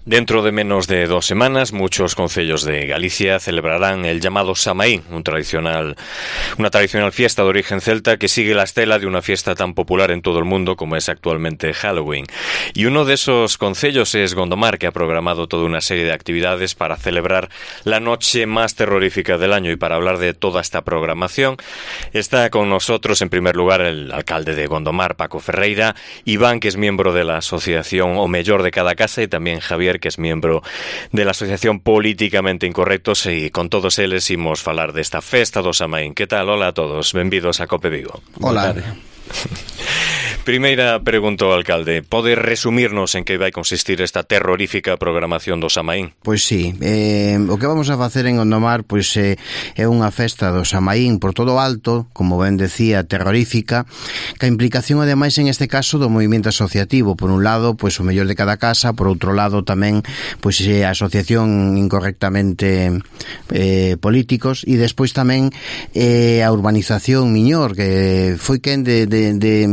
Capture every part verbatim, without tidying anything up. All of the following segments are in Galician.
Dentro de menos de dos semanas, muchos concellos de Galicia celebrarán el llamado Samaín, un tradicional, una tradicional fiesta de origen celta que sigue la estela de una fiesta tan popular en todo el mundo como es actualmente Halloween. Y uno de esos concellos es Gondomar, que ha programado toda una serie de actividades para celebrar la noche más terrorífica del año. Y para hablar de toda esta programación, está con nosotros en primer lugar el alcalde de Gondomar, Paco Ferreira, Iván, que es miembro de la asociación O Mellor de Cada Casa, y también Javier, que es miembro de la Asociación Políticamente Incorrectos, e con todos eles imos falar desta festa do Samaín. Que tal? Hola a todos, benvidos a Cope Vigo. Hola. Primeira pregunta ao alcalde, pode resumirnos en que vai consistir esta terrorífica programación do Samaín? Pois sí, eh, o que vamos a facer en Gondomar pois eh, é unha festa do Samaín por todo alto, como ben decía, terrorífica, que a implicación ademais en este caso do movimento asociativo, por un lado, pois o mellor de cada casa, por outro lado tamén pois a asociación incorrectamente eh, políticos, e despois tamén eh, a urbanización Miñor, que foi quen de, de, de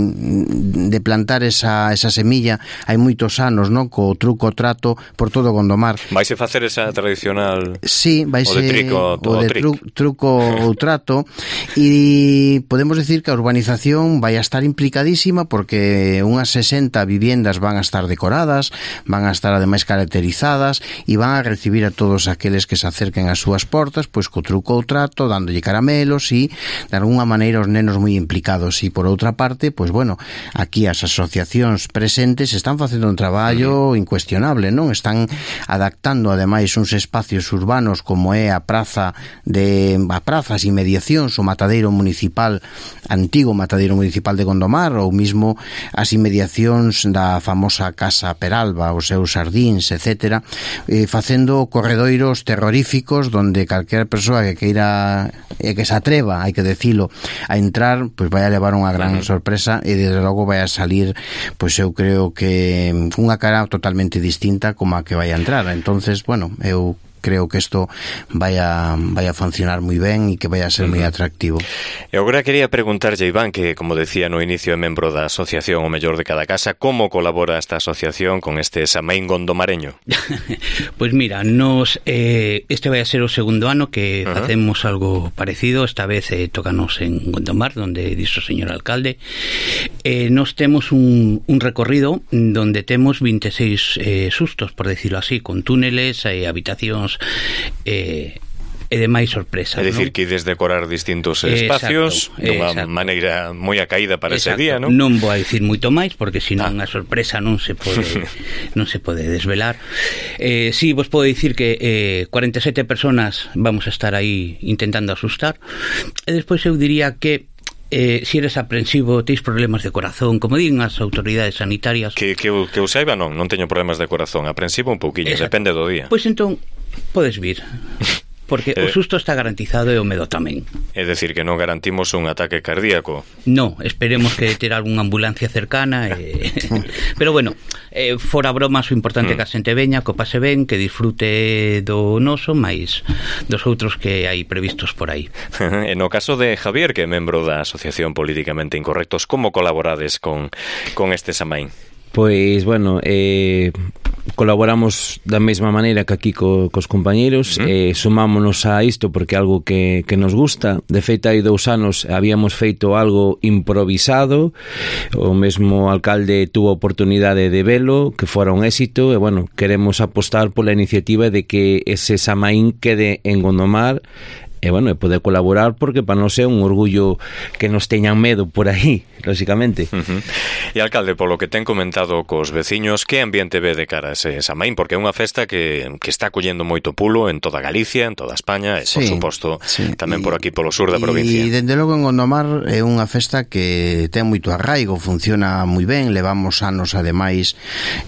de plantar esa, esa semilla hai moitos anos, non? Co truco trato por todo Gondomar. Vaise facer esa tradicional sí, vaise, o de trico o de tru, truco ou trato, e podemos decir que a urbanización vai a estar implicadísima porque unhas sesenta viviendas van a estar decoradas, van a estar ademais caracterizadas e van a recibir a todos aqueles que se acerquen ás súas portas pois co truco ou trato, dándolle caramelos e de alguna maneira os nenos moi implicados. E por outra parte, pois bueno, aquí as asociacións presentes están facendo un traballo incuestionable, non? Están adaptando ademais uns espacios urbanos como é a praza de a prazas e inmediacións, o matadeiro municipal, antigo matadeiro municipal de Gondomar, ou mismo as inmediacións da famosa Casa Peralba, os seus xardíns, etcétera, eh, facendo corredoiros terroríficos donde calquera persoa que queira e que se atreva, hai que decilo, a entrar, pois vai a levar unha gran sorpresa e desde logo vai a salir, pois eu creo que unha cara totalmente distinta como a que vai a entrar. Entonces, bueno, eu creo que isto vai a, vai a funcionar moi ben e que vai a ser uh-huh. moi atractivo. E agora quería preguntarlle, Iván, que como decía no inicio é membro da Asociación O Mellor de Cada Casa, como colabora esta asociación con este Samaín gondomareño? Pois pues mira, nos eh, este vai a ser o segundo ano que uh-huh. facemos algo parecido. Esta vez eh, tócanos en Gondomar, donde dixo o señor alcalde. Eh, nos temos un, un recorrido donde temos veintiséis eh, sustos, por decirlo así, con túneles e eh, habitacións eh, e demais sorpresas. É dicir, ¿no? que ides decorar distintos espacios dunha maneira moi acaída para exacto. ese día, non? Non vou a dicir moito máis porque senón ah. a sorpresa non se pode non se pode desvelar. Eh, si sí, vos podo dicir que eh, cuarenta e sete personas vamos a estar aí intentando asustar, e despois eu diría que Eh, si eres aprensivo, teis problemas de corazón, como din as autoridades sanitarias, que, que, que eu saiba non, non teño problemas de corazón, aprensivo un pouquiño, exacto. depende do día. Pois entón, podes vir porque eh, o susto está garantizado e o medo tamén. É dicir, que non garantimos un ataque cardíaco. No, esperemos que ter algunha ambulancia cercana e... pero bueno, eh, fora bromas, o importante é mm. que a xente veña, que o pase ben, que disfrute do noso, máis dos outros que hai previstos por aí. E no caso de Javier, que é membro da Asociación Políticamente Incorrectos, como colaborades con, con este Samaín? Pois, bueno, eh, colaboramos da mesma maneira que aquí co, cos compañeiros, uh-huh. eh, sumámonos a isto porque é algo que, que nos gusta. De feito, hai dous anos habíamos feito algo improvisado, o mesmo alcalde tuvo a oportunidade de velo, que fora un éxito, e, bueno, queremos apostar pola iniciativa de que ese Samaín quede en Gondomar, e, bueno, e poder colaborar porque para nós é un orgullo que nos teñan medo por aí, lógicamente. Uh-huh. E alcalde, polo que ten comentado cos veciños, que ambiente ve de cara a ese Samaín? Porque é unha festa que, que está collendo moito pulo en toda Galicia, en toda España e, sí, por suposto, sí. tamén por aquí polo sur da provincia. E, dende logo, en Gondomar é unha festa que ten moito arraigo, funciona moi ben, levamos anos, ademais,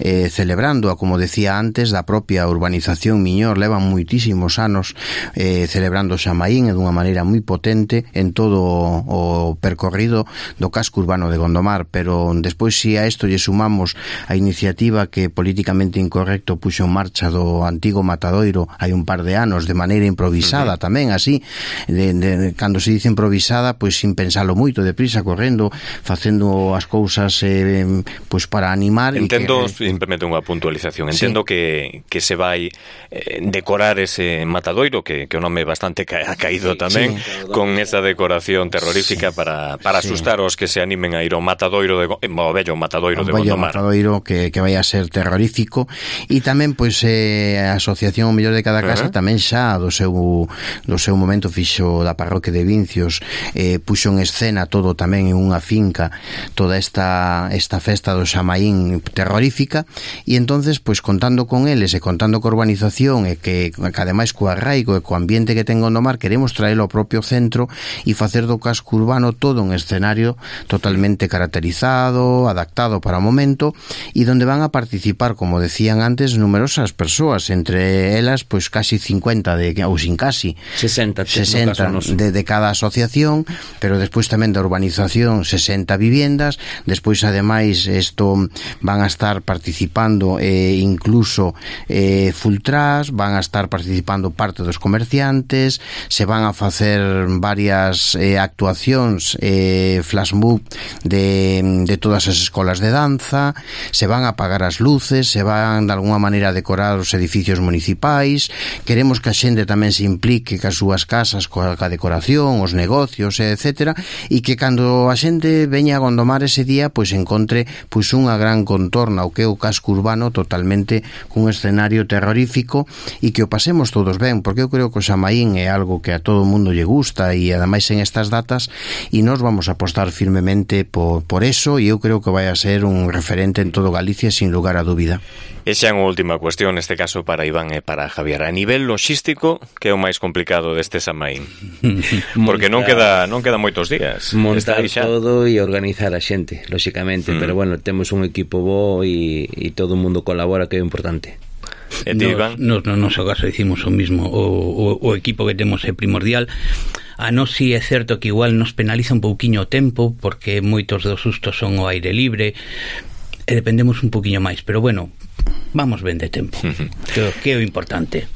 eh, celebrando, como decía antes, da propia urbanización Miñor, levan moitísimos anos eh, celebrando o Samaín. Samaín e dunha maneira moi potente en todo o percorrido do casco urbano de Gondomar, pero despois si a isto lle sumamos a iniciativa que políticamente incorrecto puxo en marcha do antigo Matadoiro hai un par de anos de maneira improvisada, uh-huh. tamén así, de, de, cando se dice improvisada, pois sin pensalo moito, deprisa, correndo, facendo as cousas eh, pois para animar. Entendo, que, simplemente unha puntualización, entendo sí. que, que se vai eh, decorar ese Matadoiro, que, que o nome bastante ca, ha caído tamén, sí. con esa decoración terrorífica sí. para, para sí. asustar os que se animen a ir ao Matadoiro de, o bello Matadoiro o de bello Gondomar. Matadoiro que, que vai a ser terrorífico, e tamén pois eh, a Asociación O Mellor de Cada Casa uh-huh. tamén xa do seu, do seu momento fixo da parroquia de Vincios, eh, puxo en escena todo tamén en unha finca, toda esta, esta festa do Samaín terrorífica, e entonces pois contando con eles e contando co urbanización e que, que ademais co arraigo e co ambiente que ten Gondomar, queremos traelo ao propio centro e facer do casco urbano todo un escenario totalmente caracterizado, adaptado para o momento, e donde van a participar, como decían antes, numerosas persoas, entre elas pois casi cincuenta de, ou sin casi sesenta, sesenta de, de cada asociación, pero despois tamén da urbanización sesenta viviendas, despois ademais isto van a estar participando eh, incluso eh, Fultras, van a estar participando parte dos comerciantes, se van a facer varias eh, actuacións eh, flash mob de, de todas as escolas de danza, se van a apagar as luces, se van de alguna maneira a decorar os edificios municipais, queremos que a xente tamén se implique cas súas casas coa, coa decoración, os negocios, etcétera, e que cando a xente veña a Gondomar ese día, pois encontre pois unha gran contorna o que é o casco urbano totalmente cun escenario terrorífico, e que o pasemos todos ben, porque eu creo que o Samaín é algo que a todo o mundo lle gusta, e ademais en estas datas, e nós vamos a apostar firmemente por, por eso, e eu creo que vai a ser un referente en todo Galicia sin lugar a dúbida. E xa unha última cuestión, neste caso para Iván e para Javier. A nivel logístico, que é o máis complicado deste Samaín? Porque non queda non queda moitos días. Montar todo e organizar a xente, lóxicamente, mm. pero bueno, temos un equipo bo e, e todo o mundo colabora, que é importante. E ti, Iván? No, no, no noso caso dicimos o mismo, o, o, o equipo que temos é primordial. A nós si é certo que igual nos penaliza un pouquiño o tempo, porque moitos dos sustos son ao aire libre, e dependemos un pouquiño máis, pero bueno, vamos ben de tempo, que, que é o importante.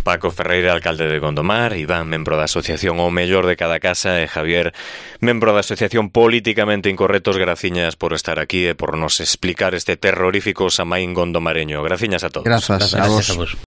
Paco Ferreira, alcalde de Gondomar, Iván, membro da Asociación O Mellor de Cada Casa, e Javier, membro da Asociación Políticamente Incorrectos, graciñas por estar aquí e por nos explicar este terrorífico Samaín gondomareño. Graciñas a todos. Grazas, Grazas a vos. A vos.